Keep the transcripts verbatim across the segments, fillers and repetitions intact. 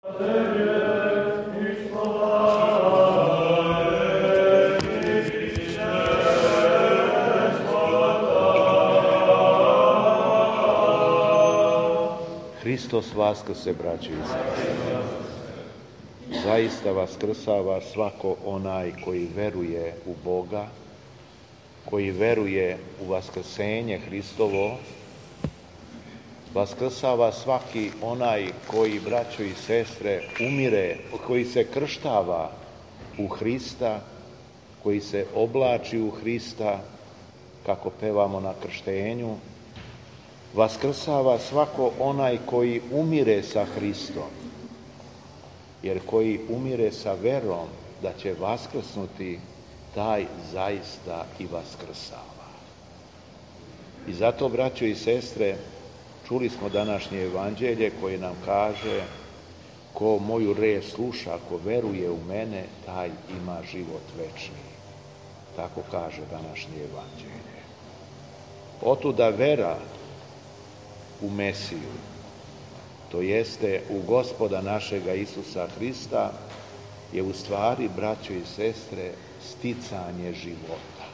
Hristos vaskrse, braćo i sestre. Zaista vaskrsava svako onaj koji veruje u Boga, koji veruje u vaskrsenje Hristovo. Vaskrsava svaki onaj koji, braćo i sestre, umire, koji se krštava u Hrista, koji se oblači u Hrista, kako pevamo na krštenju. Vaskrsava svako onaj koji umire sa Hristom, jer koji umire sa verom da će vaskrsnuti, taj zaista i vaskrsava. I zato, braćo i sestre, čuli smo današnje evanđelje koje nam kaže: ko moju reč sluša, ko veruje u mene, taj ima život večni. Tako kaže današnje evanđelje. Otuda vera u Mesiju, to jeste u Gospoda našega Isusa Hrista, je u stvari, braćo i sestre, sticanje života.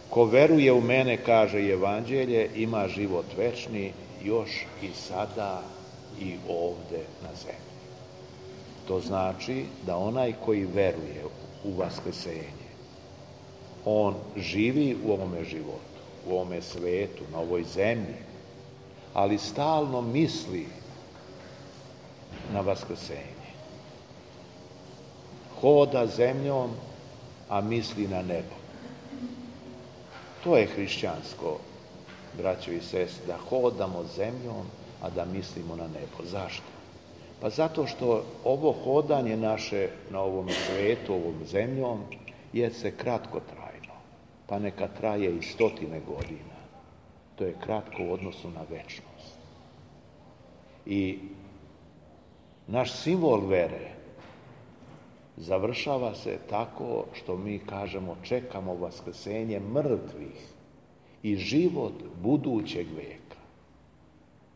Ko veruje u mene, kaže evanđelje, ima život večni još i sada i ovde na zemlji. To znači da onaj koji veruje u vaskrsenje, on živi u ovome životu, u ovome svetu, na ovoj zemlji, ali stalno misli na vaskrsenje. Hoda zemljom, a misli na nebo. To je hrišćansko, braćo i sestre, da hodamo zemljom, a da mislimo na nebo. Zašto? Pa zato što ovo hodanje naše na ovom svetu, ovom zemljom, je se kratkotrajno, pa neka traje i stotine godina. To je kratko u odnosu na večnost. I naš simbol vere završava se tako što mi kažemo čekamo vaskrsenje mrtvih i život budućeg veka.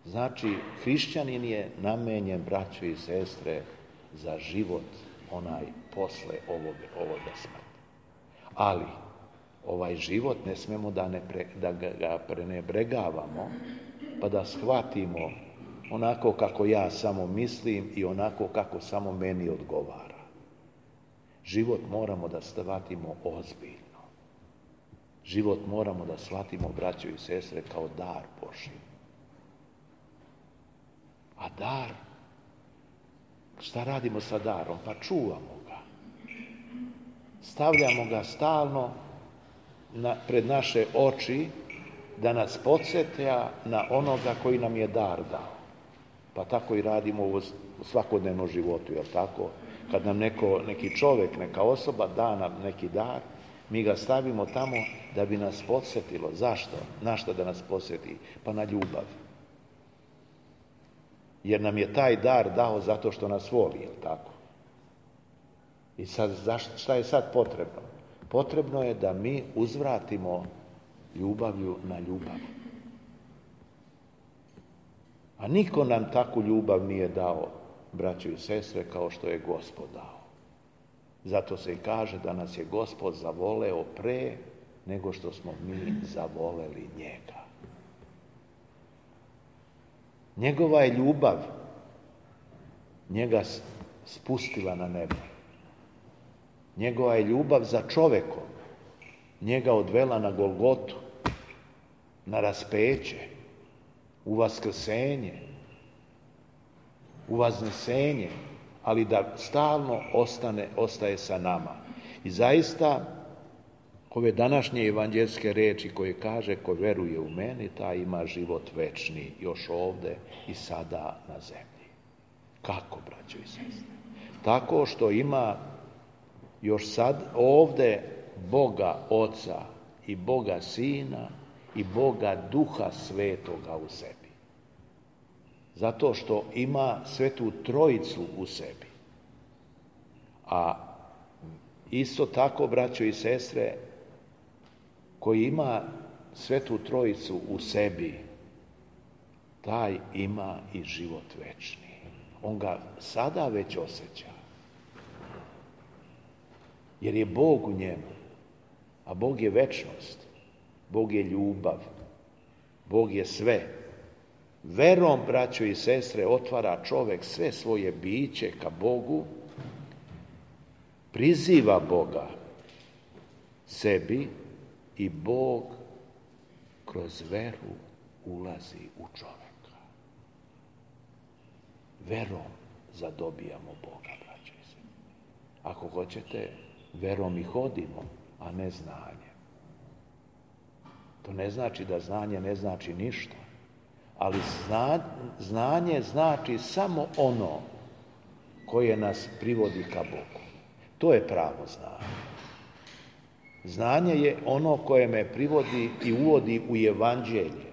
Znači, hrišćanin je namenjen, braćo i sestre, za život onaj posle ovoga, ovoga smrti. Ali ovaj život ne smemo da, ne pre, da ga prenebregavamo, pa da shvatimo onako kako ja samo mislim i onako kako samo meni odgovara. Život moramo da shvatimo ozbiljno. Život moramo da shvatimo, braćo i sestre, kao dar Božji. A dar, šta radimo sa darom? Pa čuvamo ga. Stavljamo ga stalno na, pred naše oči da nas podsjetja na onoga koji nam je dar dao. Pa tako i radimo u svakodnevnom životu, jel tako? Kad nam neko, neki čovjek, neka osoba da nam neki dar, mi ga stavimo tamo da bi nas podsjetilo. Zašto? Na što da nas podsjeti? Pa na ljubav. Jer nam je taj dar dao zato što nas voli, jel tako? I sad, šta je sad potrebno? Potrebno je da mi uzvratimo ljubavlju na ljubav. A niko nam takvu ljubav nije dao, braćo i sestre, kao što je Gospod dao. Zato se i kaže da nas je Gospod zavoleo pre nego što smo mi zavoleli njega. Njegova je ljubav njega spustila na nebo. Njegova je ljubav za čovekom njega odvela na Golgotu, na raspeće, u vaskrsenje, u vaznesenje, ali da stalno ostane, ostaje sa nama. I zaista, ove današnje evanđelske reči koje kaže ko veruje u mene, taj ima život večni još ovde i sada na zemlji. Kako, braćo i sestre? Tako što ima još sad ovde Boga Oca i Boga Sina i Boga Duha Svetoga u sebi. Zato što ima Svetu Trojicu u sebi. A isto tako, braćo i sestre, koji ima Svetu Trojicu u sebi, taj ima i život večni. On ga sada već osjeća. Jer je Bog u njemu. A Bog je večnost. Bog je ljubav. Bog je sve. Verom, braćo i sestre, otvara čovjek sve svoje biće ka Bogu, priziva Boga sebi i Bog kroz veru ulazi u čovjeka. Verom zadobijamo Boga, braćo i sestre. Ako hoćete, verom i hodimo, a ne znanjem. To ne znači da znanje ne znači ništa, ali zna, znanje znači samo ono koje nas privodi ka Bogu. To je pravo znanje. Znanje je ono koje me privodi i uvodi u evanđelje.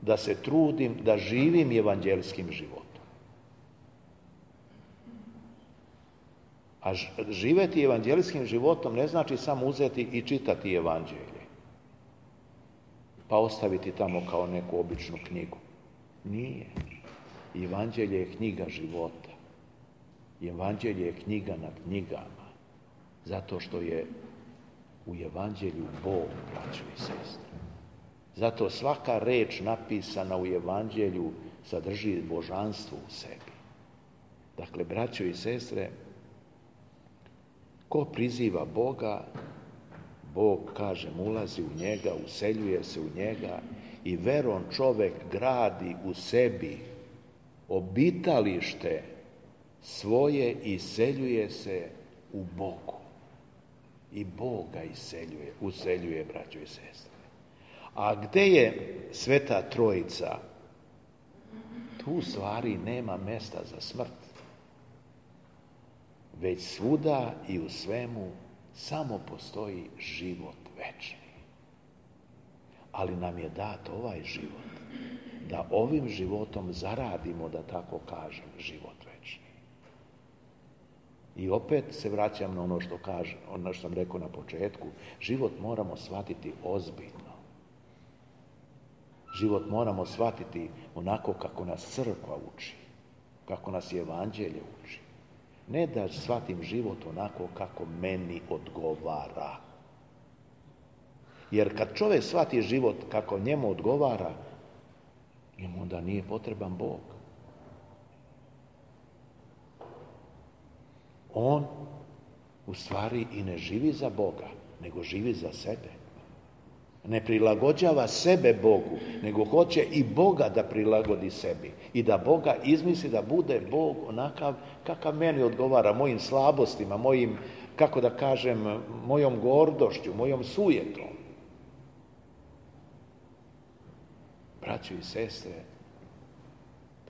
Da se trudim da živim evanđelskim životom. A živjeti evanđelskim životom ne znači samo uzeti i čitati evanđelje, pa ostaviti tamo kao neku običnu knjigu. Nije. Evanđelje je knjiga života. Evanđelje je knjiga nad knjigama. Zato što je u evanđelju Bog, braćo i sestre. Zato svaka reč napisana u evanđelju sadrži božanstvo u sebi. Dakle, braćo i sestre, ko priziva Boga, Bog, kažem, ulazi u njega, useljuje se u njega i verom čovjek gradi u sebi obitalište svoje i iseljuje se u Bogu. I Bog ga iseljuje, useljuje, braćo i sestre. A gde je Sveta Trojica? Tu u stvari nema mesta za smrt. Već svuda i u svemu samo postoji život večni. Ali nam je dat ovaj život, da ovim životom zaradimo, da tako kažem, život večni. I opet se vraćam na ono što kažem, ono što sam rekao na početku, život moramo shvatiti ozbiljno. Život moramo shvatiti onako kako nas crkva uči, kako nas evanđelje uči. Ne da shvatim život onako kako meni odgovara. Jer kad čovjek shvati život kako njemu odgovara, njemu onda nije potreban Bog. On u stvari i ne živi za Boga, nego živi za sebe. Ne prilagođava sebe Bogu, nego hoće i Boga da prilagodi sebi. I da Boga izmisli da bude Bog onakav kakav meni odgovara, mojim slabostima, mojim, kako da kažem, mojom gordošću, mojom sujetom. Braćo i sestre,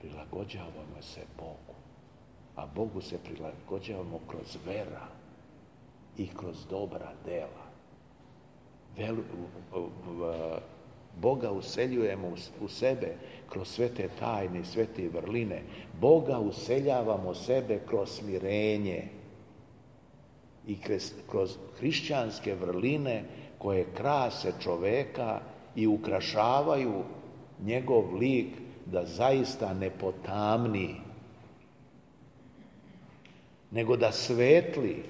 prilagođavamo se Bogu. A Bogu se prilagođavamo kroz vera i kroz dobra dela. Vel, Boga useljujemo u sebe kroz sve te tajne i sve te vrline. Boga useljavamo sebe kroz smirenje i kroz, kroz hrišćanske vrline koje krase čoveka i ukrašavaju njegov lik da zaista ne potamni, nego da svetli.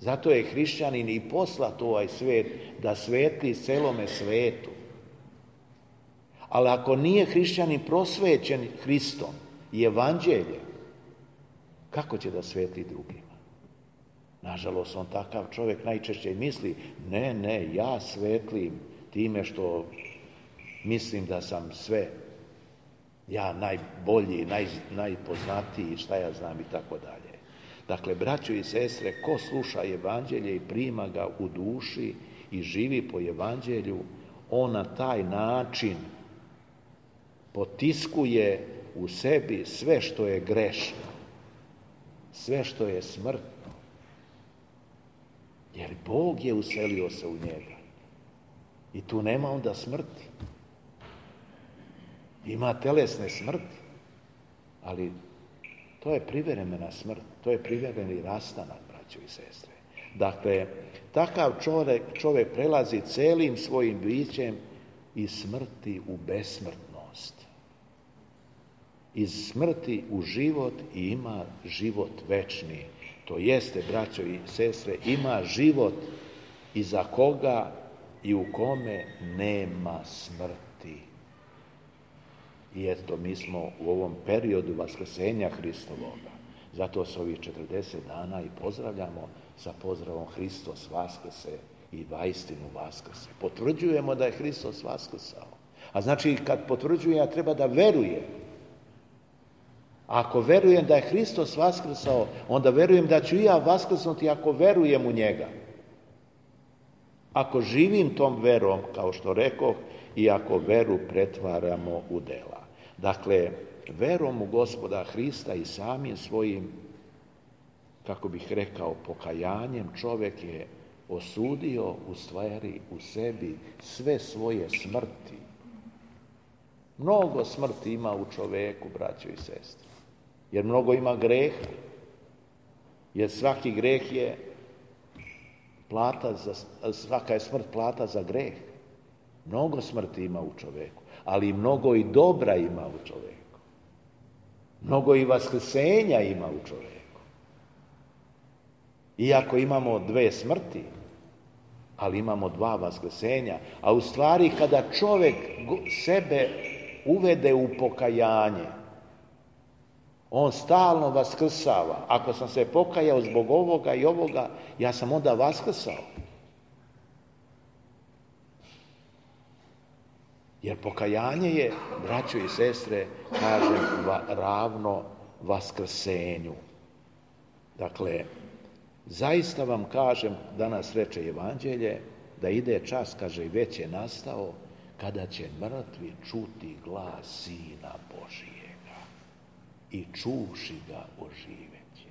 Zato je hrišćanin i poslat ovaj svet da svetli celome svetu. Ali ako nije hrišćanin prosvećen Hristom i evanđeljem, kako će da svetli drugima? Nažalost, on takav čovjek najčešće misli, ne, ne, ja svetlim time što mislim da sam sve, ja najbolji, naj, najpoznatiji, šta ja znam i tako dalje. Dakle, braćo i sestre, ko sluša evanđelje i prima ga u duši i živi po evanđelju, on na taj način potiskuje u sebi sve što je grešno, sve što je smrtno. Jer Bog je uselio se u njega. I tu nema onda smrti. Ima telesne smrti, ali to je privremena smrt, to je privremeni rastanak, braćo i sestre. Dakle, takav čovjek, čovjek prelazi celim svojim bićem iz smrti u besmrtnost. Iz smrti u život i ima život večni. To jeste, braćo i sestre, ima život iza koga i u kome nema smrti. I eto, mi smo u ovom periodu vaskrsenja Hristovoga. Zato se ovih četrdeset dana i pozdravljamo sa pozdravom Hristos vaskrse i vaistinu vaskrse. Potvrđujemo da je Hristos vaskrsao. A znači, kad potvrđujem, ja treba da verujem. Ako verujem da je Hristos vaskrsao, onda verujem da ću i ja vaskrsnuti ako verujem u njega. Ako živim tom verom, kao što rekoh, i ako veru pretvaramo u dela. Dakle, verom u Gospoda Hrista i samim svojim, kako bih rekao, pokajanjem, čovjek je osudio u stvari u sebi sve svoje smrti. Mnogo smrti ima u čovjeku, braćo i sestre. Jer mnogo ima greha. Jer svaki greh je plata za, svaka je smrt plata za greh. Mnogo smrti ima u čovjeku, ali mnogo i dobra ima u čovjeku. Mnogo i vaskrsenja ima u čovjeku. Iako imamo dve smrti, ali imamo dva vaskrsenja, a u stvari kada čovjek sebe uvede u pokajanje, on stalno vaskrsava. Ako sam se pokajao zbog ovoga i ovoga, ja sam onda vaskrsao. Jer pokajanje je, braćo i sestre, kažem, ravno vaskrsenju. Dakle, zaista vam kažem, danas reče Evanđelje, da ide čas, kaže, i već je nastao, kada će mrtvi čuti glas Sina Božijega i čuši ga oživeće.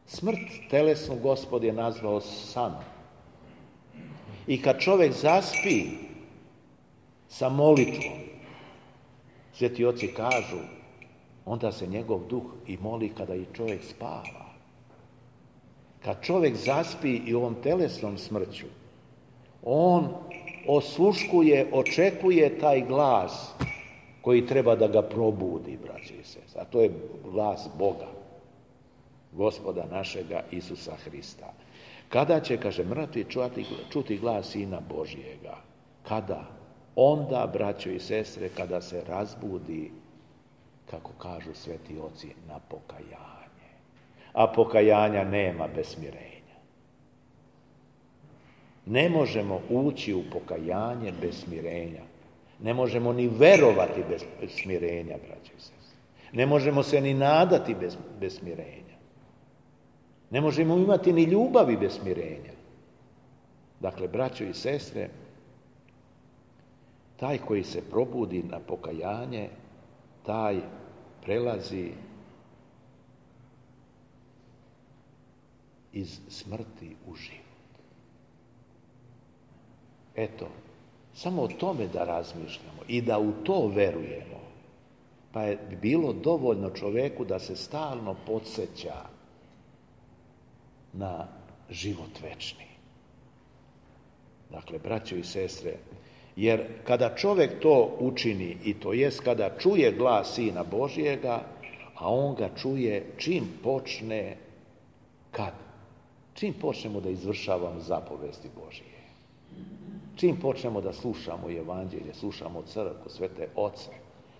Smrt telesnu Gospod je nazvao sanom. I kad čovjek zaspi sa molitvom, sveti oci kažu, onda se njegov duh i moli kada i čovjek spava. Kad čovjek zaspi i ovom telesnom smrću, on osluškuje, očekuje taj glas koji treba da ga probudi, braći i sestre. A to je glas Boga, Gospoda našega Isusa Hrista. Kada će, kaže, mrtvi čuti, čuti glas Sina Božijega? Kada? Onda, braćo i sestre, kada se razbudi, kako kažu sveti oci, na pokajanje. A pokajanja nema bez smirenja. Ne možemo ući u pokajanje bez smirenja. Ne možemo ni verovati bez smirenja, braćo i sestre. Ne možemo se ni nadati bez, bez smirenja. Ne možemo imati ni ljubavi bez smirenja. Dakle, braćo i sestre, taj koji se probudi na pokajanje, taj prelazi iz smrti u život. Eto, samo o tome da razmišljamo i da u to verujemo, pa je bilo dovoljno čovjeku da se stalno podsjeća na život večni. Dakle, braćo i sestre, jer kada čovjek to učini, i to jest kada čuje glas Sina Božijega, a on ga čuje čim počne, kad? Čim počnemo da izvršavamo zapovesti Božije. Čim počnemo da slušamo Evanđelje, slušamo crkvu, svete oce.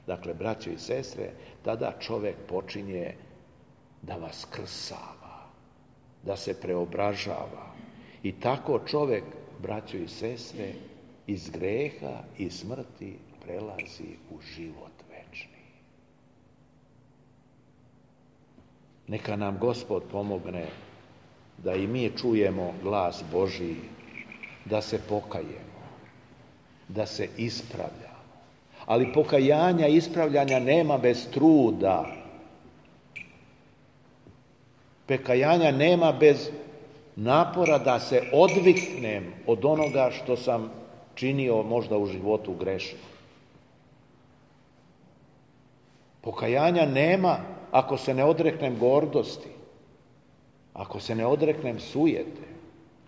Dakle, braćo i sestre, tada čovjek počinje da vaskrsava, da se preobražava. I tako čovjek, braćo i sestre, iz greha i smrti prelazi u život večni. Neka nam Gospod pomogne da i mi čujemo glas Božiji, da se pokajemo, da se ispravljamo. Ali pokajanja i ispravljanja nema bez truda. Pokajanja nema bez napora da se odviknem od onoga što sam činio možda u životu grešno. Pokajanja nema ako se ne odreknem gordosti, ako se ne odreknem sujete.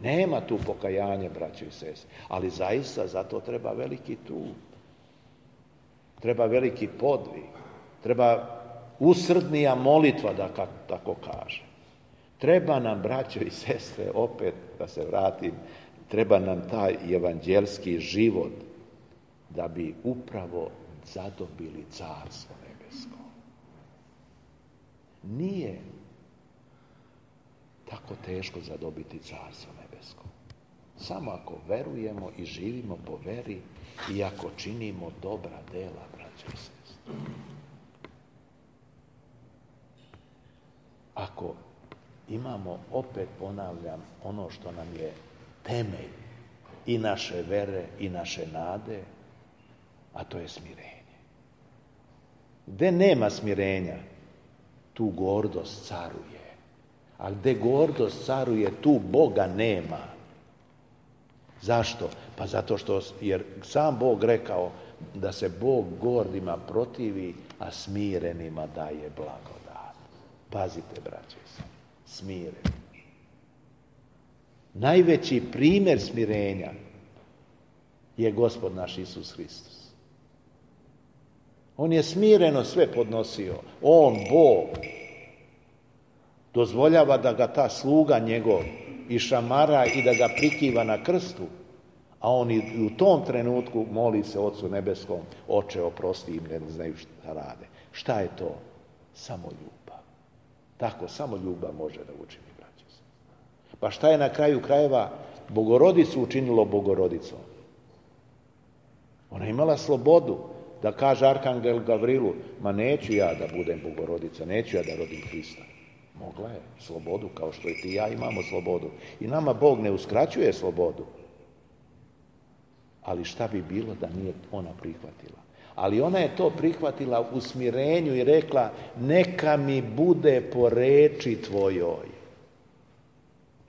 Nema tu pokajanja, braćo i sestre, ali zaista za to treba veliki trud. Treba veliki podvig, treba usrdnija molitva, da tako kaže. Treba nam, braćo i sestre, opet da se vratim, treba nam taj evanđelski život da bi upravo zadobili carstvo nebesko. Nije tako teško zadobiti carstvo nebesko. Samo ako verujemo i živimo po veri i ako činimo dobra dela, braćo i sestre. Ako imamo, opet ponavljam, ono što nam je temelj i naše vere i naše nade, a to je smirenje. Gde nema smirenja, tu gordost caruje. A gde gordost caruje, tu Boga nema. Zašto? Pa zato što, jer sam Bog rekao da se Bog gordima protivi, a smirenima daje blagodat. Pazite, braće, smireni. Najveći primjer smirenja je Gospod naš Isus Hristos. On je smireno sve podnosio. On, Bog, dozvoljava da ga ta sluga njegov išamara i da ga prikiva na krstu, a on i u tom trenutku moli se Ocu nebeskom: Oče, oprosti im, ne znaju šta rade. Šta je to? Samo ljubav. Tako, samo ljubav može da učini, braće. Pa šta je na kraju krajeva Bogorodicu učinilo Bogorodicom? Ona je imala slobodu da kaže Arhangel Gavrilu: ma neću ja da budem Bogorodica, neću ja da rodim Hrista. Mogla je slobodu, kao što i ti i ja imamo slobodu. I nama Bog ne uskraćuje slobodu. Ali šta bi bilo da nije ona prihvatila? Ali ona je to prihvatila u smirenju i rekla: neka mi bude po reči tvojoj.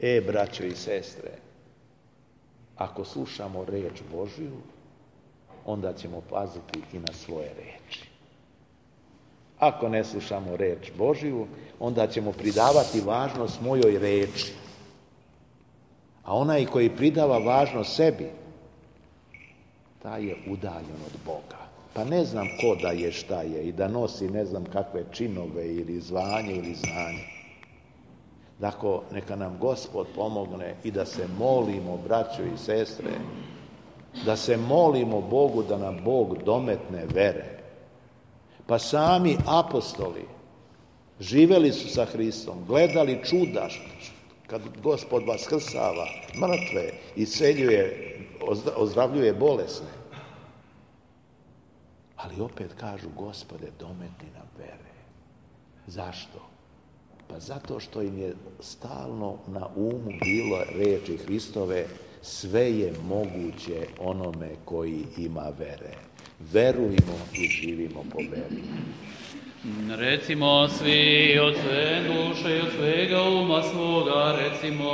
E, braćo i sestre, ako slušamo reč Božju, onda ćemo paziti i na svoje reči. Ako ne slušamo reč Božju, onda ćemo pridavati važnost mojoj reči. A onaj koji pridava važnost sebi, taj je udaljen od Boga. Pa ne znam ko da je, šta je, i da nosi ne znam kakve činove ili zvanje ili znanje. Dakle, neka nam Gospod pomogne i da se molimo, braćo i sestre, da se molimo Bogu da nam Bog dometne vere. Pa sami apostoli živeli su sa Hristom, gledali čuda, kad Gospod vaskrsava mrtve, isceljuje, ozdravljuje bolesne. Ali opet kažu: Gospode, dometni nam vere. Zašto? Pa zato što im je stalno na umu bilo reči Hristove: sve je moguće onome koji ima vere. Verujmo i živimo po veri. Recimo svi od sve duše i od svega uma svoga, recimo.